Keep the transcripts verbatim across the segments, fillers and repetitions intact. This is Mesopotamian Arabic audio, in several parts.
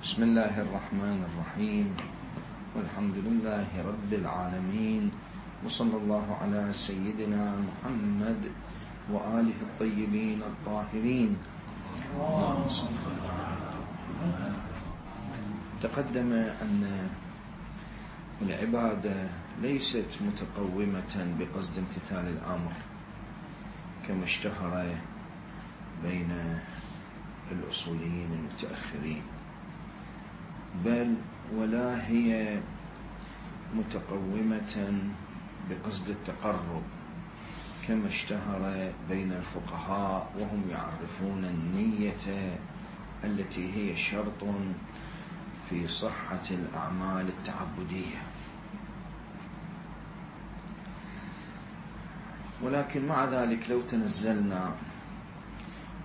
بسم الله الرحمن الرحيم، والحمد لله رب العالمين، وصلى الله على سيدنا محمد وآله الطيبين الطاهرين. تقدم أن العبادة ليست متقومة بقصد امتثال الأمر كما اشتهر بين الأصوليين المتأخرين، بل ولا هي متقومة بقصد التقرب كما اشتهر بين الفقهاء، وهم يعرفون النية التي هي شرط في صحة الأعمال التعبدية. ولكن مع ذلك لو تنزلنا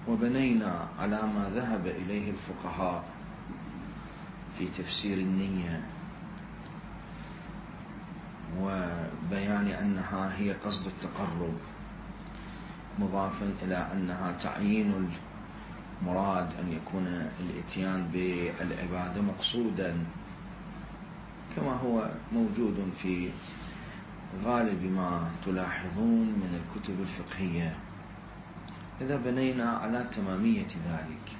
وبنينا على ما ذهب إليه الفقهاء في تفسير النية وبيان أنها هي قصد التقرب، مضافا إلى أنها تعيين المراد أن يكون الاتيان بالعبادة مقصودا كما هو موجود في غالب ما تلاحظون من الكتب الفقهية، إذا بنينا على تمامية ذلك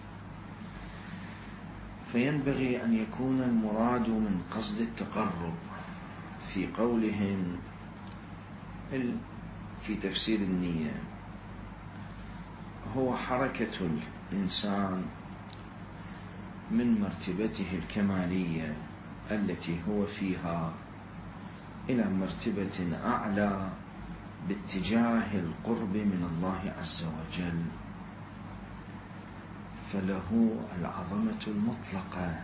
فينبغي أن يكون المراد من قصد التقرب في قولهم في تفسير النية هو حركة الإنسان من مرتبته الكمالية التي هو فيها إلى مرتبة أعلى باتجاه القرب من الله عز وجل، فله العظمة المطلقة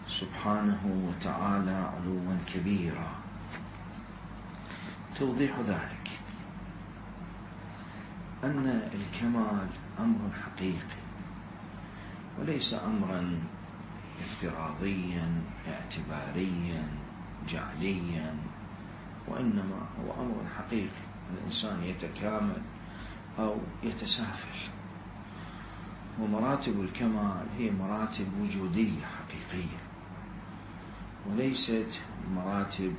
سبحانه وتعالى علوا كبيرا. توضيح ذلك أن الكمال أمر حقيقي وليس أمرا افتراضيا اعتباريا جعليا، وإنما هو أمر حقيقي. الإنسان يتكامل أو يتسافل، ومراتب الكمال هي مراتب وجودية حقيقية وليست مراتب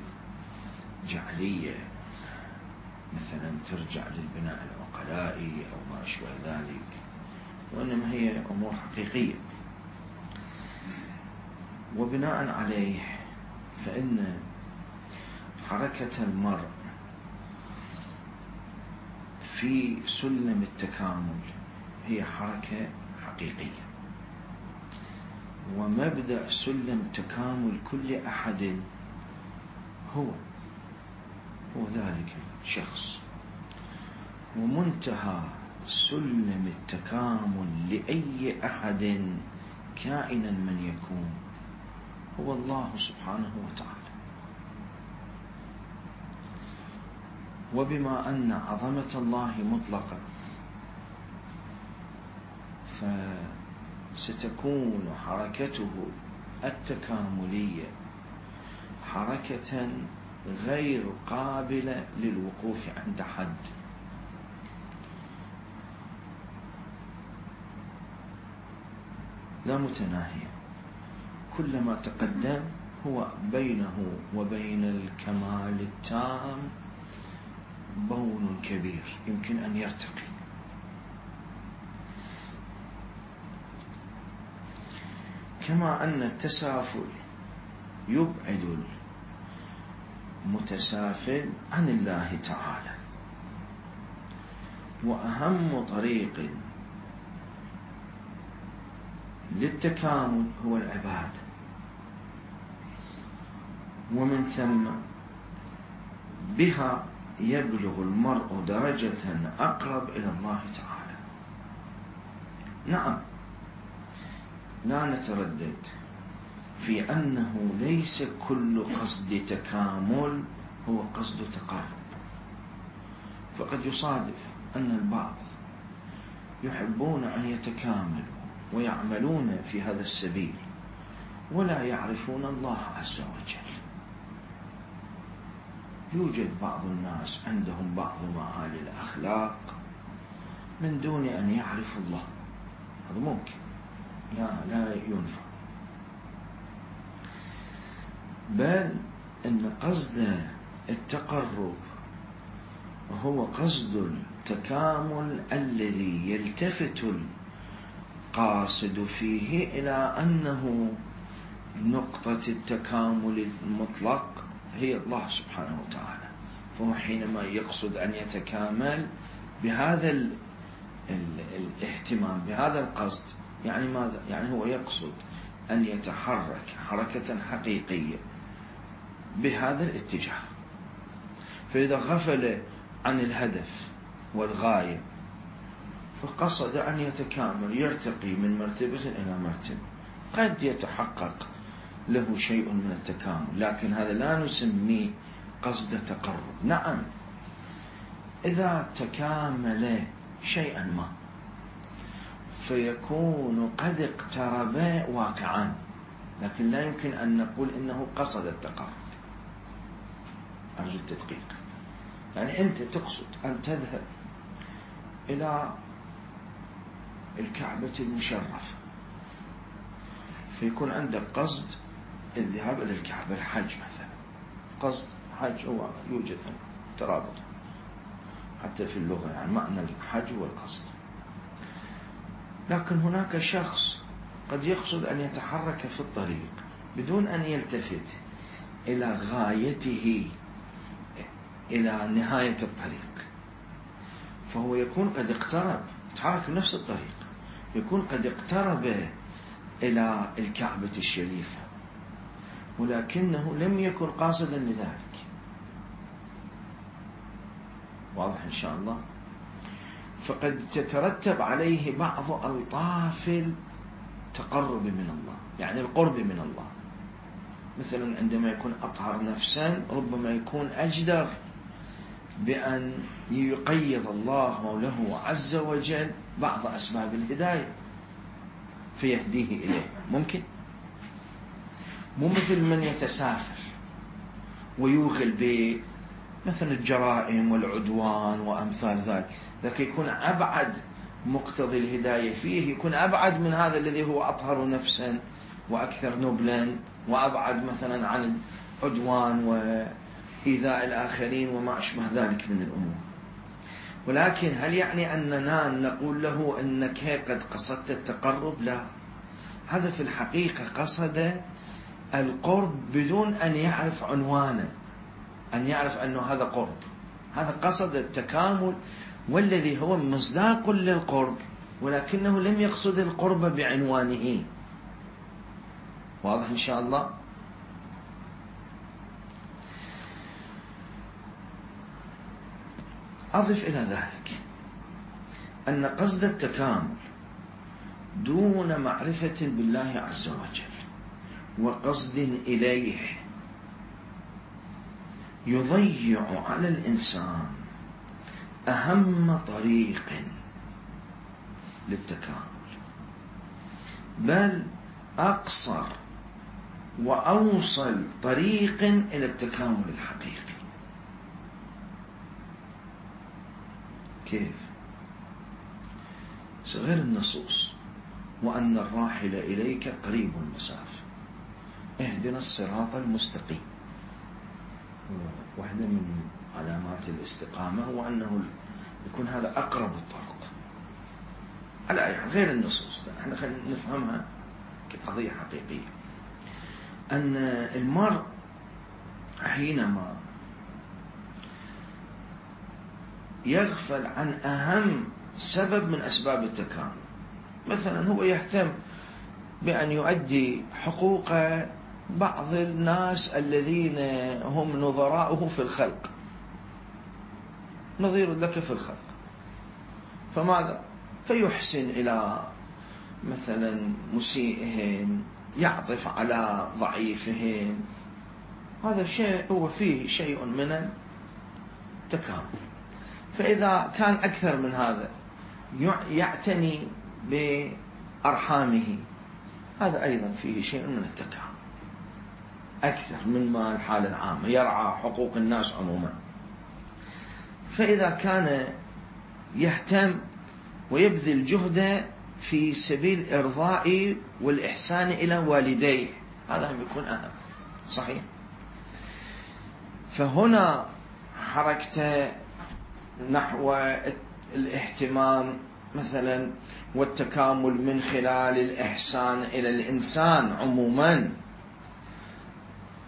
جعلية مثلا ترجع للبناء العقلائي أو ما أشبه ذلك، وإنما هي أمور حقيقية. وبناء عليه فإن حركة المرء في سلم التكامل هي حركة حقيقية، ومبدأ سلم تكامل كل أحد هو هو ذلك الشخص، ومنتهى سلم التكامل لأي أحد كائنا من يكون هو الله سبحانه وتعالى. وبما أن عظمة الله مطلقة فستكون حركته التكاملية حركة غير قابلة للوقوف عند حد، لا متناهية. كلما تقدم هو بينه وبين الكمال التام بون كبير يمكن أن يرتقي. كما أن التسافل يبعد المتسافل عن الله تعالى، وأهم طريق للتكامل هو العبادة، ومن ثم بها يبلغ المرء درجة أقرب إلى الله تعالى. نعم، لا نتردد في أنه ليس كل قصد تكامل هو قصد تقرب، فقد يصادف أن البعض يحبون أن يتكاملوا ويعملون في هذا السبيل ولا يعرفون الله عز وجل. يوجد بعض الناس عندهم بعض معالي الأخلاق من دون أن يعرف الله، هذا ممكن، لا لا ينفع. بل أن قصد التقرب هو قصد التكامل الذي يلتفت القاصد فيه إلى أنه نقطة التكامل المطلق هي الله سبحانه وتعالى. فهو حينما يقصد أن يتكامل بهذا ال ال الاهتمام، بهذا القصد، يعني ماذا؟ يعني هو يقصد أن يتحرك حركة حقيقية بهذا الاتجاه. فإذا غفل عن الهدف والغاية فقصد أن يتكامل، يرتقي من مرتبة إلى مرتبة، قد يتحقق له شيء من التكامل، لكن هذا لا نسميه قصد تقرب. نعم، إذا تكامل شيئا ما فيكون قد اقترب واقعا، لكن لا يمكن أن نقول إنه قصد التقرب. أرجو التدقيق. يعني أنت تقصد أن تذهب إلى الكعبة المشرفة، فيكون عندك قصد الذهاب إلى الكعبة، الحج مثلا. قصد حج هو يوجد ترابط حتى في اللغة، يعني معنى الحج هو القصد. لكن هناك شخص قد يقصد أن يتحرك في الطريق بدون أن يلتفت إلى غايته، إلى نهاية الطريق، فهو يكون قد اقترب، تحرك بنفس الطريق، يكون قد اقترب إلى الكعبة الشريفة، ولكنه لم يكن قاصدا لذلك. واضح إن شاء الله؟ فقد تترتب عليه بعض ألطاف التقرب من الله، يعني القرب من الله. مثلا عندما يكون أطهر نفسا ربما يكون أجدر بأن يقيض الله مولاه عز وجل بعض أسباب الهداية فيهديه إليه. ممكن، مو مثل من يتسافر ويوغل بمثل الجرائم والعدوان وأمثال ذلك، لكن يكون أبعد مقتضي الهداية فيه، يكون أبعد من هذا الذي هو أطهر نفسا وأكثر نبلا، وأبعد مثلا عن العدوان وإيذاء الآخرين وما أشبه ذلك من الأمور. ولكن هل يعني أننا نقول له أنك قد قصدت التقرب؟ لا، هذا في الحقيقة قصد القرب بدون أن يعرف عنوانه، أن يعرف أنه هذا قرب. هذا قصد التكامل والذي هو مصداق للقرب، ولكنه لم يقصد القرب بعنوانه. واضح إن شاء الله؟ أضف إلى ذلك أن قصد التكامل دون معرفة بالله عز وجل وقصد إليه يضيع على الإنسان أهم طريق للتكامل، بل أقصر وأوصل طريق إلى التكامل الحقيقي. كيف؟ غير النصوص وأن الراحل إليك قريب المسافة، اهدنا الصراط المستقيم. واحدة من علامات الاستقامة هو أنه يكون هذا أقرب الطرق. على يعني غير النصوص، احنا خلينا نفهمها كقضية حقيقية. أن المرء حينما يغفل عن أهم سبب من أسباب التكامل، مثلا هو يهتم بأن يؤدي حقوق بعض الناس الذين هم نظراؤه في الخلق، نظير لك في الخلق، فماذا؟ فيحسن إلى مثلا مسيئهم، يعطف على ضعيفهم. هذا شيء هو فيه شيء من التكامل. فإذا كان أكثر من هذا يعتني بأرحامه، هذا أيضا فيه شيء من التكامل أكثر مما الحالة العامة، يرعى حقوق الناس عموما. فإذا كان يهتم ويبذل جهده في سبيل الإرضاء والإحسان إلى والديه، هذا هم يكون أهم. صحيح؟ فهنا حركته نحو الاهتمام مثلا والتكامل من خلال الإحسان إلى الإنسان عموما.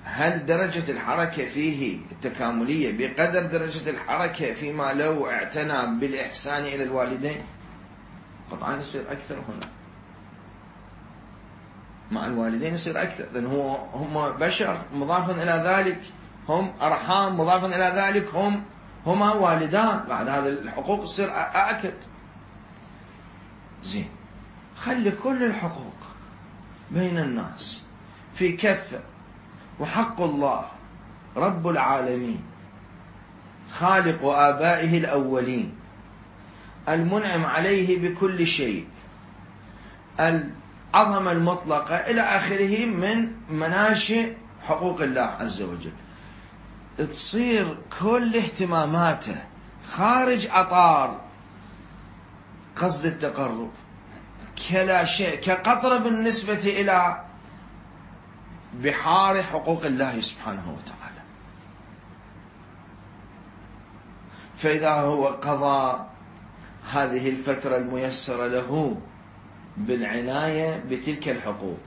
هل درجة الحركة فيه التكاملية بقدر درجة الحركة فيما لو اعتنى بالإحسان إلى الوالدين؟ قطعا يصير أكثر هنا مع الوالدين، يصير أكثر، لأن هو هم بشر، مضافا إلى ذلك هم أرحام، مضافا إلى ذلك هم هما والدان، بعد هذه الحقوق تصير أأكد. زين، خلي كل الحقوق بين الناس في كفة، وحق الله رب العالمين خالق آبائه الأولين المنعم عليه بكل شيء، العظمة المطلقة إلى آخره من مناشئ حقوق الله عز وجل، تصير كل اهتماماته خارج أطار قصد التقرب كلا شيء، كقطرة بالنسبة إلى بحار حقوق الله سبحانه وتعالى. فإذا هو قضى هذه الفترة الميسرة له بالعناية بتلك الحقوق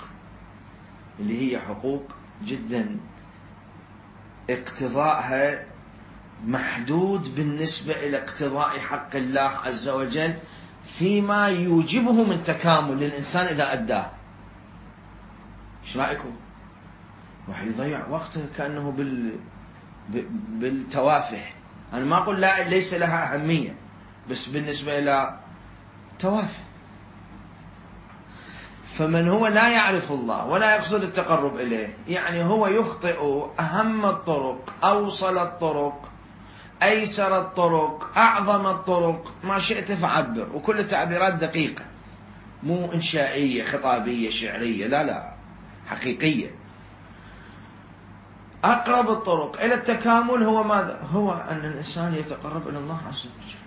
اللي هي حقوق جدا اقتضاءها محدود بالنسبة إلى اقتضاء حق الله عز وجل فيما يوجبه من تكامل للإنسان إذا أداه. ايش رأيكم؟ راح يضيع وقته كأنه بال بالتوافه. أنا ما أقول لا ليس لها أهمية، بس بالنسبة إلى توافه. فمن هو لا يعرف الله ولا يقصد التقرب إليه، يعني هو يخطئ أهم الطرق، أوصل الطرق، أيسر الطرق، أعظم الطرق، ما شئت فعبر، وكل التعبيرات دقيقة مو إنشائية خطابية شعرية، لا لا، حقيقية. أقرب الطرق إلى التكامل هو ماذا؟ هو أن الإنسان يتقرب إلى الله عز وجل،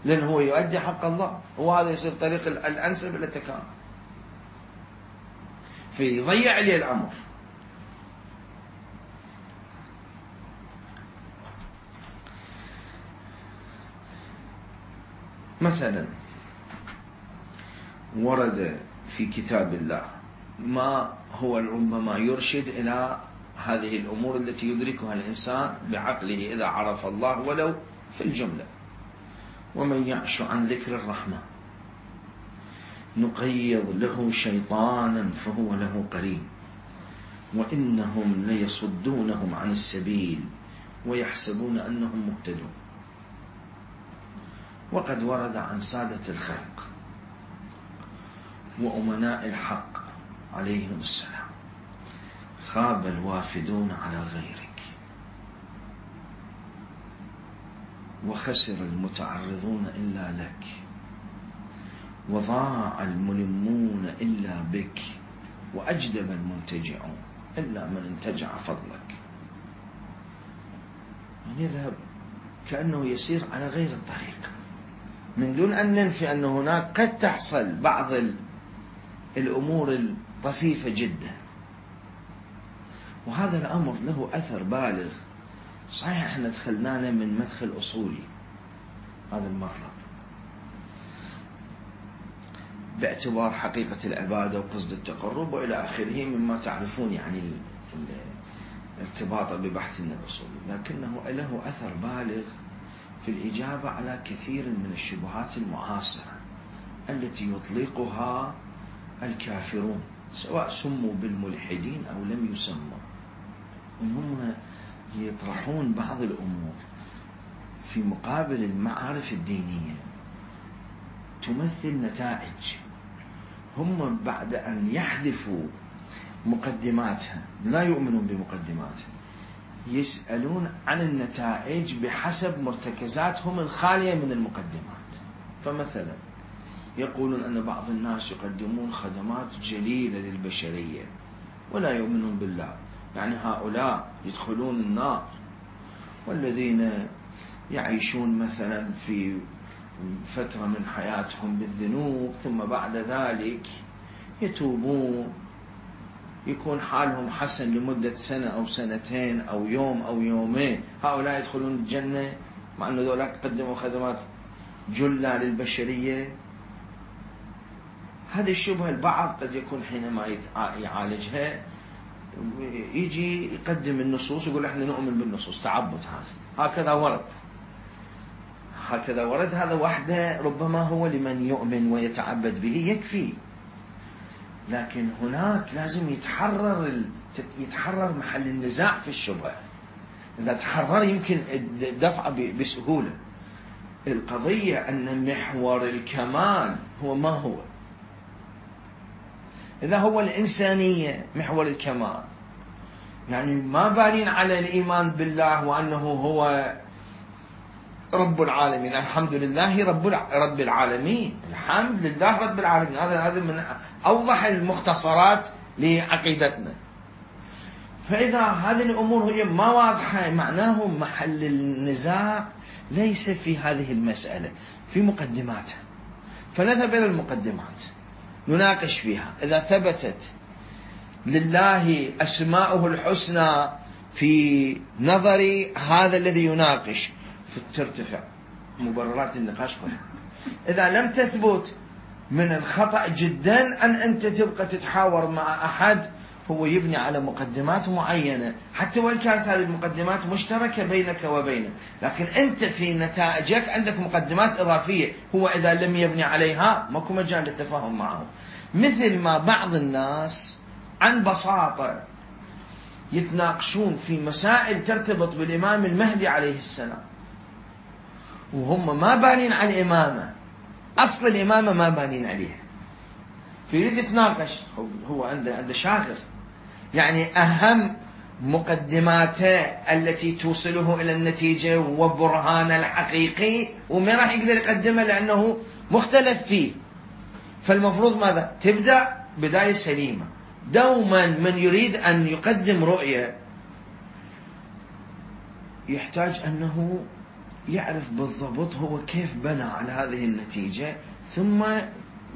لأن هو يؤدي حق الله، وهذا يصير طريق الأنسب إلى التكامل، فيضيع لي الأمر. مثلا ورد في كتاب الله ما هو ربما يرشد إلى هذه الأمور التي يدركها الإنسان بعقله إذا عرف الله ولو في الجملة. ومن يعش عن ذكر الرحمن نقيض له شيطانا فهو له قرين وإنهم ليصدونهم عن السبيل ويحسبون أنهم مهتدون. وقد ورد عن سادة الخلق وأمناء الحق عليهم السلام: خاب الوافدون على غيرك وخسر المتعرضون إلا لك وضاع الملمون إلا بك وأجدب المنتجعون إلا من انتجع فضلك. يذهب كأنه يسير على غير الطريق، من دون أن ننفي أن هناك قد تحصل بعض الأمور الطفيفة جدا، وهذا الأمر له أثر بالغ. صحيح احنا دخلنانا من مدخل أصولي هذا المطلب باعتبار حقيقة العبادة وقصد التقرب وإلى آخره مما تعرفون يعني الارتباط ببحث الأصول، لكنه له أثر بالغ في الإجابة على كثير من الشبهات المعاصرة التي يطلقها الكافرون سواء سموا بالملحدين أو لم يسموا، إنهم يطرحون بعض الأمور في مقابل المعارف الدينية تمثل نتائج. هم بعد أن يحذفوا مقدماتها لا يؤمنون بمقدماتها، يسألون عن النتائج بحسب مرتكزاتهم الخالية من المقدمات. فمثلا يقولون أن بعض الناس يقدمون خدمات جليلة للبشرية ولا يؤمنون بالله، يعني هؤلاء يدخلون النار، والذين يعيشون مثلا في فترة من حياتهم بالذنوب ثم بعد ذلك يتوبون يكون حالهم حسن لمدة سنة أو سنتين أو يوم أو يومين، هؤلاء يدخلون الجنة مع أن ذولاك قدموا خدمات جلة للبشرية. هذه الشبهة البعض قد يكون حينما يعالجها يجي يقدم النصوص يقول احنا نؤمن بالنصوص، تعبد هذا، هكذا ورد هكذا ورد هذا وحده ربما هو لمن يؤمن ويتعبد به يكفي. لكن هناك لازم يتحرر يتحرر محل النزاع في الشبهة. إذا تحرر يمكن الدفع بسهولة. القضية أن محور الكمال هو ما هو. إذا هو الإنسانية محور الكمال، يعني ما بانين على الإيمان بالله وأنه هو رب العالمين، الحمد لله رب رب العالمين، الحمد لله رب العالمين، هذا هذا من أوضح المختصرات لعقيدتنا. فإذا هذه الأمور هي ما واضحة معناه محل النزاع ليس في هذه المسألة، في مقدماتها. فنذهب إلى المقدمات نناقش فيها. إذا ثبتت لله أسماؤه الحسنى في نظر هذا الذي يناقش فترتفع مبررات النقاش كلها. إذا لم تثبت من الخطأ جدا أن أنت تبقى تتحاور مع أحد هو يبني على مقدمات معينة، حتى وإن كانت هذه المقدمات مشتركة بينك وبينه، لكن أنت في نتائجك عندك مقدمات إضافية، هو إذا لم يبني عليها ماكو مجال للتفاهم معه. مثل ما بعض الناس عن بساطة يتناقشون في مسائل ترتبط بالإمام المهدي عليه السلام وهم ما بانين على الإمامة، أصل الإمامة ما بانين عليها، فيريد يتناقش. هو عنده عنده شاغر، يعني أهم مقدماته التي توصله إلى النتيجة وبرهان الحقيقي وما راح يقدر يقدمه لأنه مختلف فيه. فالمفروض ماذا؟ تبدأ بداية سليمة. دوما من يريد أن يقدم رؤية يحتاج أنه يعرف بالضبط هو كيف بنى على هذه النتيجة، ثم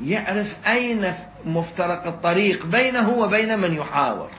يعرف أين مفترق الطريق بينه وبين من يحاور.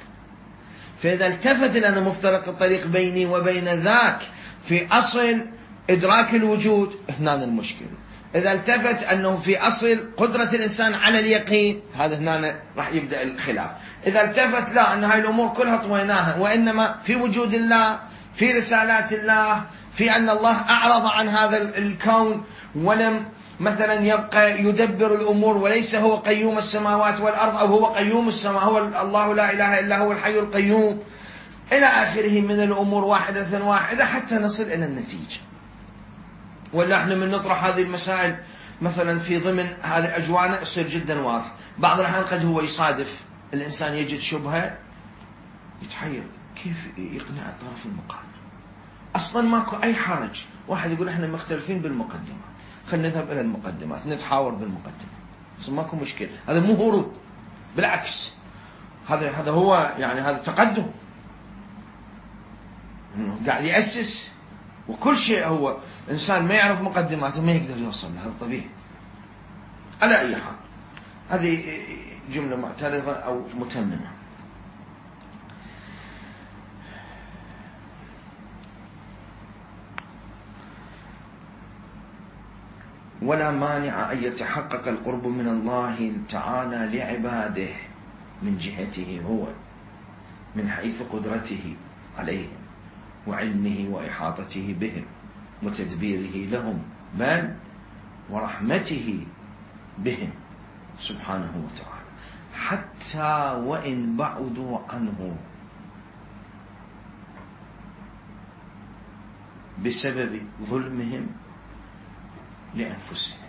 فإذا التفت لأن مفترق الطريق بيني وبين ذاك في أصل إدراك الوجود، هنا المشكلة. إذا التفت أنه في أصل قدرة الإنسان على اليقين، هذا هنا راح يبدأ الخلاف. إذا التفت لا أن هاي الأمور كلها طويناها وإنما في وجود الله، في رسالات الله، في أن الله أعرض عن هذا الكون ولم مثلا يبقى يدبر الأمور وليس هو قيوم السماوات والأرض أو هو قيوم السماء، هو الله لا إله إلا هو الحي القيوم إلى آخره من الأمور واحدة واحدة حتى نصل إلى النتيجة. ولا احنا من نطرح هذه المسائل مثلا في ضمن هذه الأجواء يصير جدا واضح. بعض الأحيان قد هو يصادف الإنسان يجد شبهة يتحير كيف يقنع الطرف المقابل. أصلا ماكو أي حرج، واحد يقول احنا مختلفين بالمقدمات، خلينا نذهب إلى المقدمات نتحاور بالمقدمات، بس ماكو مشكلة. هذا مو هروب، بالعكس هذا هذا هو يعني هذا تقدم، قاعد يأسس. وكل شيء هو إنسان ما يعرف مقدماته ما يقدر يوصل له، هذا طبيعي. على أي حال هذه جملة معترضة أو متممة. ولا مانع أن يتحقق القرب من الله تعالى لعباده من جهته هو من حيث قدرته عليهم وعلمه وإحاطته بهم وتدبيره لهم، بل ورحمته بهم سبحانه وتعالى، حتى وإن بعدوا عنه بسبب ظلمهم لأنفسهم،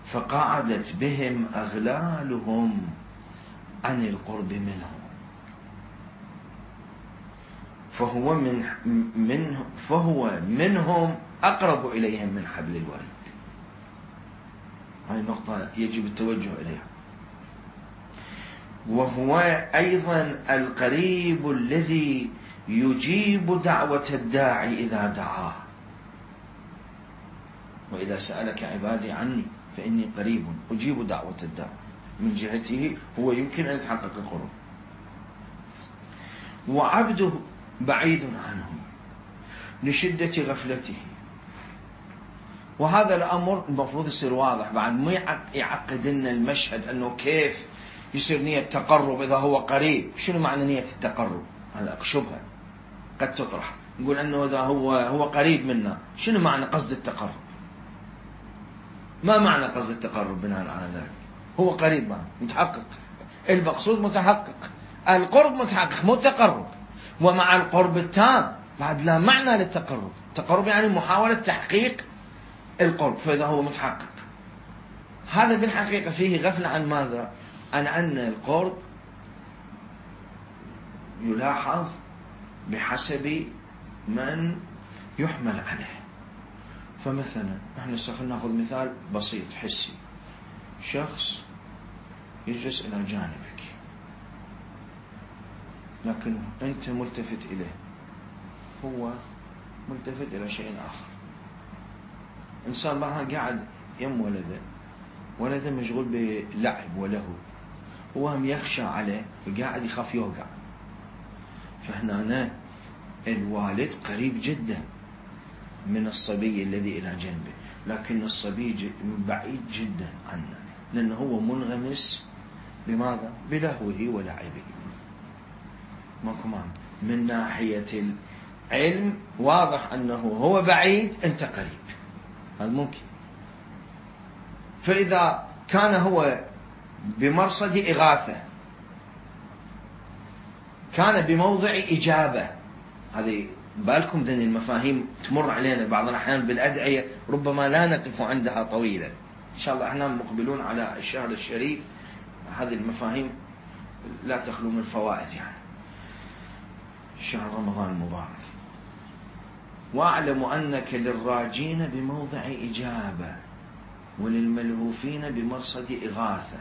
فقعدت بهم أغلالهم عن القرب منهم، فهو من منه فهو منهم أقرب إليهم من حبل الوريد. هذه النقطة يجب التوجه إليها. وهو أيضا القريب الذي يجيب دعوة الداعي إذا دعاه، وإذا سألك عبادي عني فإني قريب أجيب دعوة الداعي. من جهته هو يمكن أن يتحقق القرب. وعبده بعيد عنه لشدة غفلته. وهذا الأمر المفروض يصير واضح بعد، مو يعقد لنا المشهد أنه كيف يصير نية تقرب إذا هو قريب. شنو معنى نية التقرب؟ هذا شبهة قد تطرح، نقول أنه إذا هو هو قريب منا، شنو معنى قصد التقرب؟ ما معنى قصد التقرب بناء على ذلك؟ هو قريب معه متحقق، المقصود متحقق، القرب متحقق مو التقرب. ومع القرب التام بعد لا معنى للتقرب. التقرب يعني محاولة تحقيق القرب، فإذا هو متحقق هذا بالحقيقة فيه غفلة عن ماذا؟ عن أن القرب يلاحظ بحسب من يحمل عليه. فمثلا احنا ناخذ مثال بسيط حسي، شخص يجلس إلى جانبك لكن أنت ملتفت إليه، هو ملتفت إلى شيء آخر. إنسان معها قاعد يم ولده، ولده مشغول بلعب وله، هو هم يخشى عليه وقاعد يخاف يوقع. فهنا الوالد قريب جدا من الصبي الذي إلى جنبه، لكن الصبي بعيد جدا عنه لأنه هو منغمس بماذا؟ بلهوه ولعبه. ماكو معنى. من ناحية العلم واضح أنه هو بعيد أنت قريب، هذا ممكن. فإذا كان هو بمرصد إغاثة، كان بموضع إجابة، هذه بالكم ذن المفاهيم تمر علينا بعض الأحيان بالأدعية ربما لا نقف عندها طويلا. إن شاء الله احنا مقبلون على الشهر الشريف، هذه المفاهيم لا تخلو من فوائد، يعني شهر رمضان المبارك. وأعلم أنك للراجين بموضع إجابة وللملهوفين بمرصد إغاثة،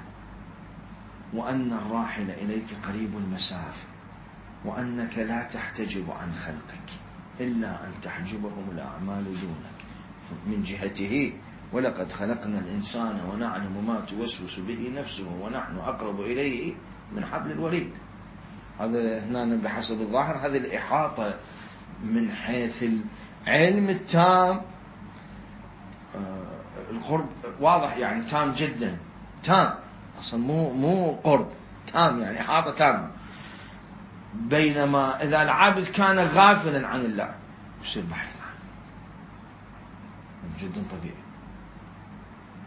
وأن الراحل إليك قريب المسافة، وأنك لا تحتجب عن خلقك إلا أن تحجبهم الأعمال دونك من جهته. ولقد خلقنا الإنسان ونعلم ما توسوس به نفسه ونحن أقرب إليه من حبل الوريد. هذا هنا بحسب الظاهر هذه الإحاطة من حيث العلم التام. القرب واضح يعني تام جدا، تام أصلا مو مو قرب، تام يعني إحاطة تامة. بينما إذا العابد كان غافلا عن الله يصير بحث عنه جدا طبيعي،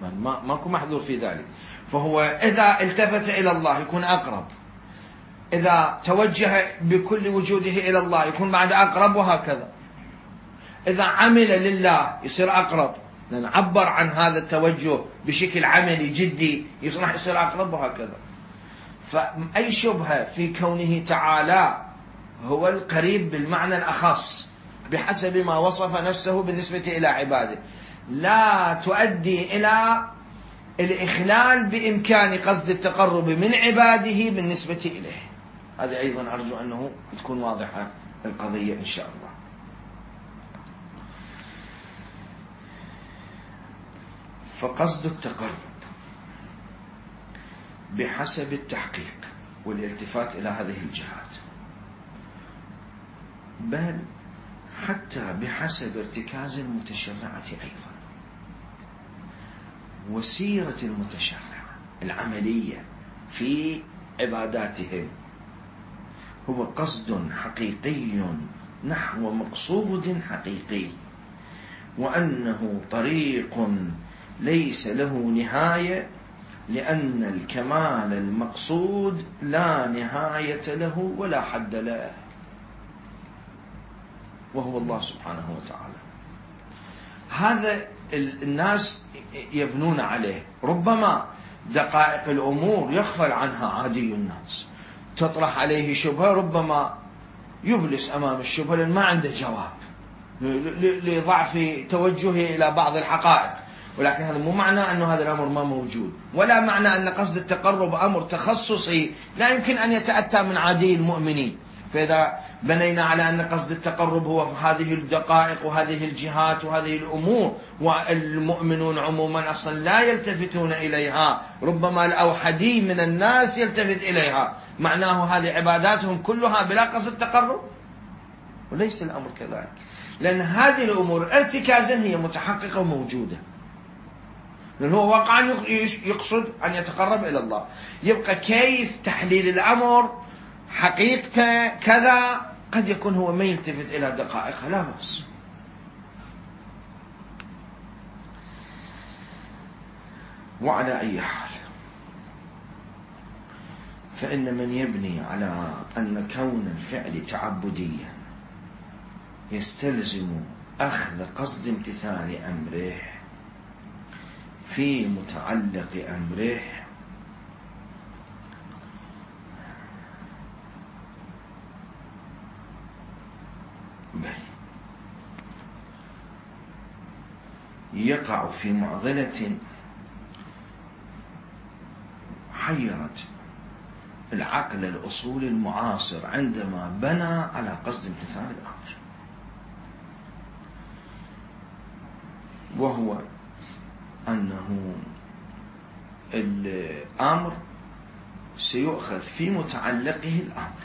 ما ماكو محذور في ذلك. فهو إذا التفت إلى الله يكون أقرب، إذا توجه بكل وجوده إلى الله يكون بعد أقرب، وهكذا. إذا عمل لله يصير أقرب، لأن عبر عن هذا التوجه بشكل عملي جدي يصبح يصير أقرب، وهكذا. فأي شبهة في كونه تعالى هو القريب بالمعنى الأخص بحسب ما وصف نفسه بالنسبة إلى عباده لا تؤدي إلى الإخلال بإمكان قصد التقرب من عباده بالنسبة إليه. هذا أيضا أرجو أنه تكون واضحة القضية إن شاء الله. فقصد التقرب بحسب التحقيق والالتفات إلى هذه الجهات، بل حتى بحسب ارتكاز المتشرعة أيضا وسيرة المتشرعة العملية في عباداتهم، هو قصد حقيقي نحو مقصود حقيقي، وأنه طريق ليس له نهاية، لأن الكمال المقصود لا نهاية له ولا حد له، وهو الله سبحانه وتعالى. هذا الناس يبنون عليه. ربما دقائق الأمور يغفل عنها عادي الناس، تطرح عليه شبهة ربما يبلس أمام الشبهة لأن ما عنده جواب لضعف توجهه إلى بعض الحقائق. ولكن هذا مو معنى أنه هذا الأمر ما موجود، ولا معنى أن قصد التقرب أمر تخصصي لا يمكن أن يتأتى من عادي المؤمنين. فإذا بنينا على أن قصد التقرب هو في هذه الدقائق وهذه الجهات وهذه الأمور، والمؤمنون عموما أصلا لا يلتفتون إليها، ربما الأوحدي من الناس يلتفت إليها، معناه هذه عباداتهم كلها بلا قصد تقرب؟ وليس الأمر كذلك، لأن هذه الأمور ارتكازا هي متحققة وموجودة، لأنه هو واقعا يقصد أن يتقرب إلى الله. يبقى كيف تحليل الأمر حقيقته كذا، قد يكون هو ما يلتفت إلى دقائقها، لا بأس. وعلى أي حال، فإن من يبني على أن كون الفعل تعبديا يستلزم أخذ قصد امتثال أمره في متعلق أمره، يقع في معضلة حيرت العقل الأصولي المعاصر عندما بنى على قصد امتثال الأمر، وهو أنه الأمر سيؤخذ في متعلقه الأمر،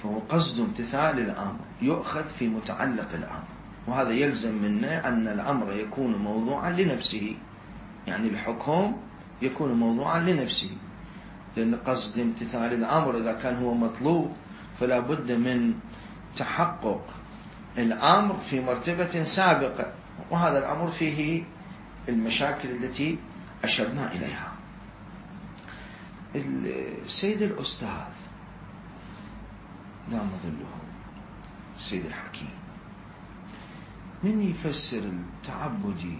فهو قصد امتثال الأمر يؤخذ في متعلق الأمر، وهذا يلزم منا أن الأمر يكون موضوعا لنفسه، يعني الحكم يكون موضوعا لنفسه، لأن قصد امتثال الأمر إذا كان هو مطلوب فلا بد من تحقق الأمر في مرتبة سابقة، وهذا الأمر فيه المشاكل التي أشرنا إليها. السيد الأستاذ دام ظله السيد الحكيم من يفسر التعبدي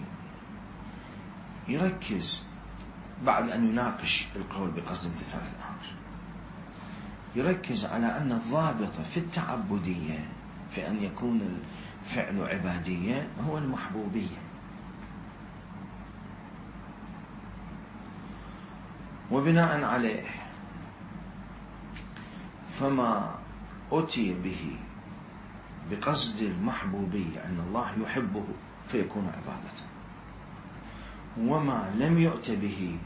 يركز بعد أن يناقش القول بقصد امتثال الأمر، يركز على أن الضابط في التعبدية في أن يكون الفعل عباديا هو المحبوبية، وبناء عليه فما أتي به بقصد المحبوبية أن الله يحبه فيكون عبادة، وما لم يؤت به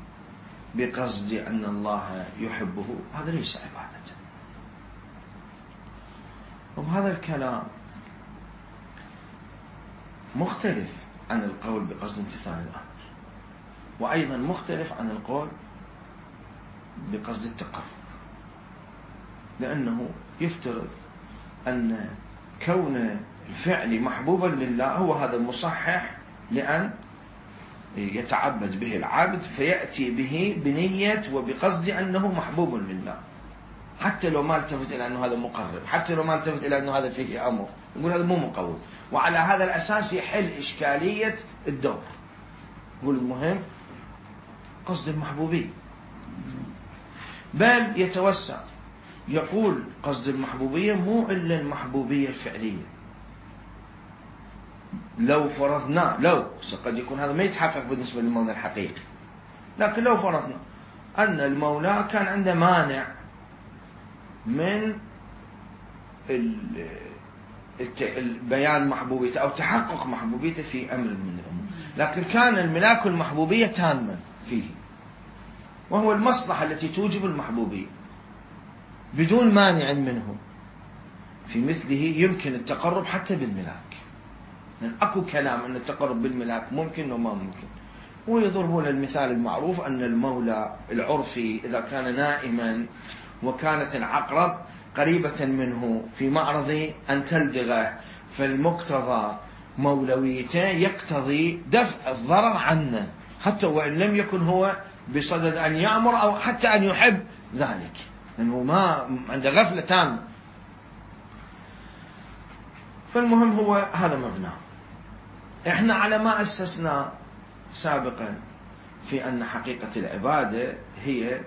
بقصد أن الله يحبه هذا ليس عبادة. وهذا الكلام مختلف عن القول بقصد امتثال الأمر، وأيضا مختلف عن القول بقصد التقرب، لأنه يفترض أن كون الفعل محبوبا لله هو هذا المصحح لأن يتعبد به العبد، فيأتي به بنية وبقصد أنه محبوب لله، حتى لو ما التفت إلى أنه هذا مقرب، حتى لو ما التفت إلى أنه هذا فيه أمر، يقول هذا مو مقوم، وعلى هذا الأساس يحل إشكالية الدور. يقول المهم قصد المحبوبية، بل يتوسع يقول قصد المحبوبية مو إلا المحبوبية الفعلية. لو فرضنا لو قد يكون هذا ما يتحقق بالنسبة للمولى الحقيقي، لكن لو فرضنا أن المولى كان عنده مانع من البيان محبوبيته أو تحقق محبوبيته في أمر من الأمور، لكن كان الملاك المحبوبية تاما فيه، وهو المصلحة التي توجب المحبوبية بدون مانع منه، في مثله يمكن التقرب حتى بالملاك، يعني أكو كلام أن التقرب بالملاك ممكن وما ممكن. ويضربون المثال المعروف أن المولى العرفي إذا كان نائما وكانت العقرب قريبة منه في معرض أن تلدغه، فالمقتضى مولويته يقتضي دفع الضرر عنه حتى وإن لم يكن هو بصدد أن يأمر أو حتى أن يحب ذلك، لأنه ما عنده غفلة تامة. فالمهم هو هذا مبناه. احنا على ما أسسنا سابقا في أن حقيقة العبادة هي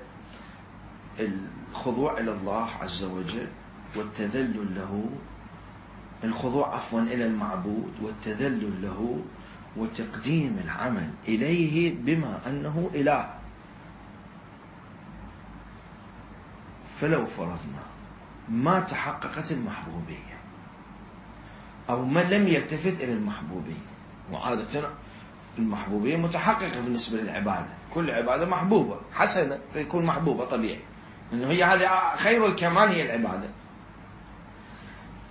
الخضوع إلى الله عز وجل والتذلل له، الخضوع عفوا إلى المعبود والتذلل له وتقديم العمل إليه بما أنه إله. فلو فرضنا ما تحققت المحبوبية أو من لم يلتفت إلى المحبوبية. وعادة المحبوبية متحققة بالنسبة للعبادة، كل عبادة محبوبة حسنة فيكون محبوبة طبيعي، لأنه هي هذه خير الكمال هي العبادة.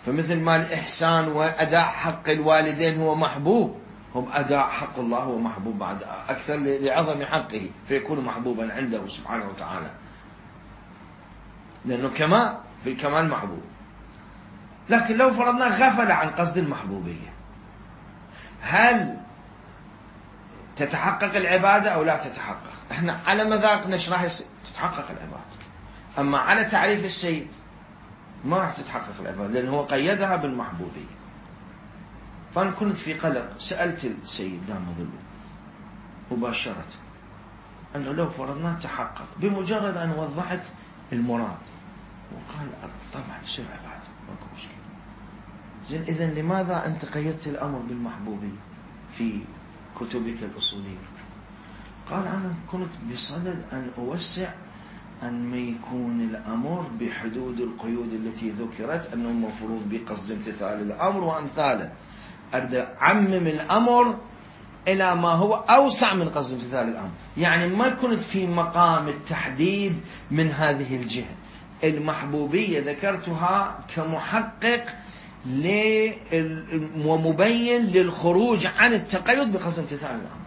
فمثل ما الإحسان وأداء حق الوالدين هو محبوب، هم أداء حق الله هو محبوب بعد أكثر لعظم حقه فيكون محبوبا عنده سبحانه وتعالى، لأنه كمال في الكمال محبوب. لكن لو فرضنا غفل عن قصد المحبوبية، هل تتحقق العبادة أو لا تتحقق؟ احنا على مذاقنا ايش راح يصير؟ تتحقق العبادة. أما على تعريف السيد ما راح تتحقق العبادة، لأنه هو قيدها بالمحبوبية. فأنا كنت في قلق، سألت السيد دام ظله مباشرة أنه لو فرضنا تحقق بمجرد أن وضحت المراد، وقال طبعا يصير عبادة ماكو مشكلة. زين إذن لماذا أنت قيدت الأمر بالمحبوبية في كتبك الأصولية؟ قال أنا كنت بصدد أن أوسع أن ما يكون الأمر بحدود القيود التي ذكرت، أنه مفروض بقصد امتثال الأمر وأمثاله. أريد أعمم الأمر إلى ما هو أوسع من قصد امتثال الأمر، يعني ما كنت في مقام التحديد من هذه الجهة. المحبوبية ذكرتها كمحقق ومبين للخروج عن التقيد بقصد امتثال الأمر.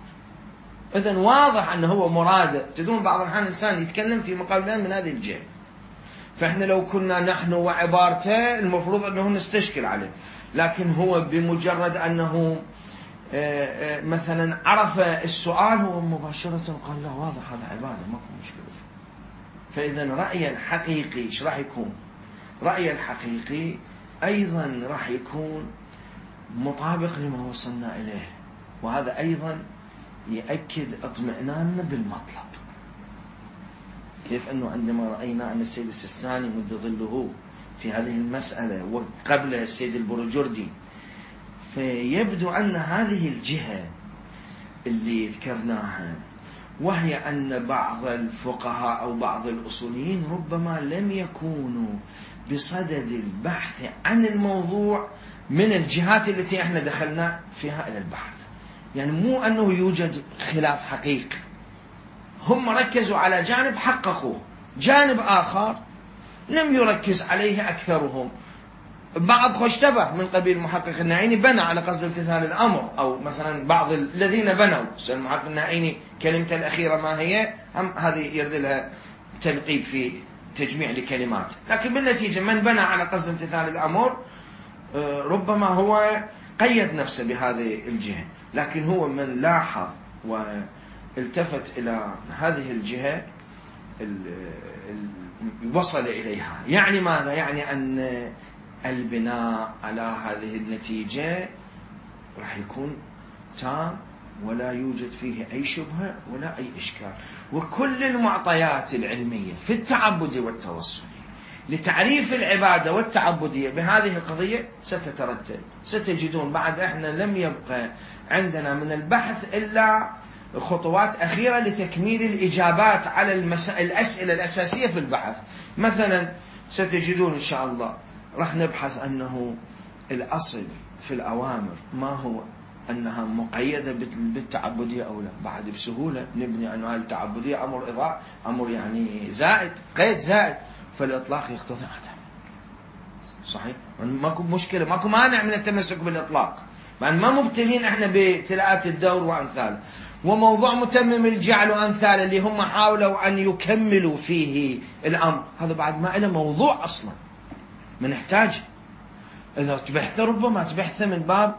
إذن واضح أنه هو مراده. تدون بعض الأحيان الإنسان يتكلم في مقام من هذه الجهة، فإحنا لو كنا نحن وعبارته المفروض أنه نستشكل عليه، لكن هو بمجرد أنه مثلا عرف السؤال هو مباشرة قال لا واضح هذا عبادة ماكو مشكلة. فإذا رأي الحقيقي إيش راح يكون؟ رأي الحقيقي أيضا راح يكون مطابق لما وصلنا إليه، وهذا أيضا يأكد اطمئناننا بالمطلب. كيف أنه عندما رأينا أن السيد السيستاني مد ظله في هذه المسألة وقبل السيد البروجردي، فيبدو أن هذه الجهة اللي ذكرناها، وهي أن بعض الفقهاء أو بعض الأصوليين ربما لم يكونوا بصدد البحث عن الموضوع من الجهات التي احنا دخلنا فيها إلى البحث. يعني مو أنه يوجد خلاف حقيقي، هم ركزوا على جانب حققوه، جانب آخر لم يركز عليه أكثرهم. بعض خشتبه من قبيل المحقق النعيني بنى على قصد امتثال الأمر، أو مثلا بعض الذين بنوا المحقق النعيني كلمته الأخيرة ما هي، هم هذه يرد لها تنقيب في تجميع لكلمات. لكن بالنتيجة من بنى على قصد امتثال الأمر ربما هو قيد نفسه بهذه الجهة، لكن هو من لاحظ والتفت إلى هذه الجهة وصل إليها. يعني ماذا؟ يعني أن البناء على هذه النتيجة راح يكون تام ولا يوجد فيه أي شبهة ولا أي إشكال، وكل المعطيات العلمية في التعبد والتوسل لتعريف العبادة والتعبدية بهذه القضية ستترتب. ستجدون بعد احنا لم يبقى عندنا من البحث إلا خطوات أخيرة لتكميل الإجابات على المسائل الأسئلة الأساسية في البحث. مثلا ستجدون إن شاء الله راح نبحث أنه الأصل في الأوامر ما هو أنها مقيدة بالتعبدية أو لا. بعد بسهولة نبني أنها التعبدية أمر إضاء، أمر يعني زائد، قيد زائد، فالإطلاق يقتضي عدم. صحيح؟ ماكو مشكلة، ماكو مانع من التمسك بالإطلاق، مع ما مبتلين احنا بابتلاءات الدور وأمثاله. وموضوع متمم الجعل وأمثاله اللي هم حاولوا أن يكملوا فيه الأمر، هذا بعد ما له موضوع أصلا من نحتاج. إذا تبحث ربما تبحث من باب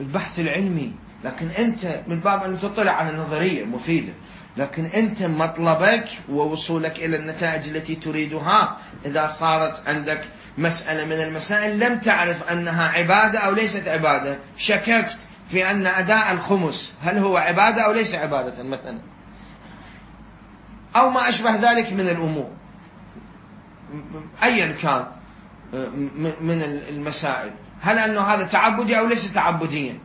البحث العلمي، لكن أنت من باب أن تطلع على نظرية مفيدة، لكن أنت مطلبك ووصولك إلى النتائج التي تريدها إذا صارت عندك مسألة من المسائل لم تعرف أنها عبادة أو ليست عبادة، شككت في أن أداء الخمس هل هو عبادة أو ليس عبادة مثلا، أو ما أشبه ذلك من الأمور أيا كان من المسائل، هل أنه هذا تعبدي أو ليس تعبديا،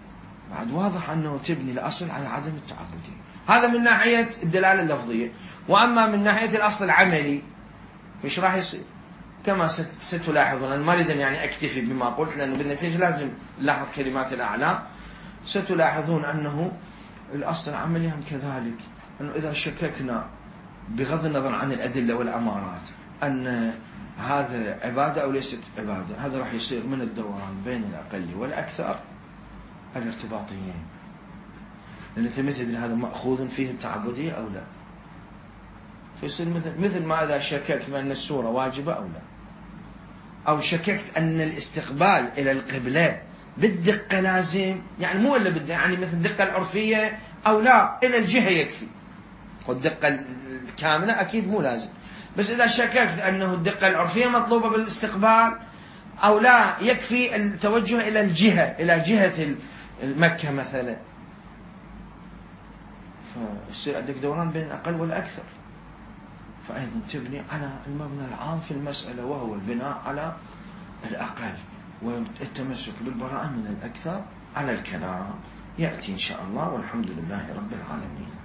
بعد واضح أنه تبني الأصل على عدم التعبدية. هذا من ناحية الدلالة اللفظية. وأما من ناحية الأصل العملي فإيش راح يصير؟ كما ستلاحظون. أنا ما أريد يعني أكتفي بما قلت، لأنه بالنتيجة لازم نلاحظ كلمات الأعلام. ستلاحظون أنه الأصل العملي هم كذلك، أنه إذا شككنا بغض النظر عن الأدلة والأمارات أن هذا عبادة أو ليست عبادة، هذا راح يصير من الدوران بين الأقل والأكثر الارتباطيين. لأن أنت ما تدري هذا مأخوذ فيه التعبدية أو لا. فيصير مثل مثل ما إذا شككت بأن السورة واجبة أو لا، أو شككت أن الاستقبال إلى القبلة بالدقة لازم، يعني مو إلا بالدقة، يعني مثل الدقة العرفية أو لا، إلى الجهة يكفي. والدقة الكاملة أكيد مو لازم، بس إذا شككت أنه الدقة العرفية مطلوبة بالاستقبال أو لا، يكفي التوجه إلى الجهة، إلى جهة مكة مثلا، فيصير عندك دوران بين الأقل والأكثر. فأيضا تبني على المبنى العام في المسألة، وهو البناء على الأقل والتمسك بالبراءة من الأكثر على الكلام. يأتي إن شاء الله، والحمد لله رب العالمين.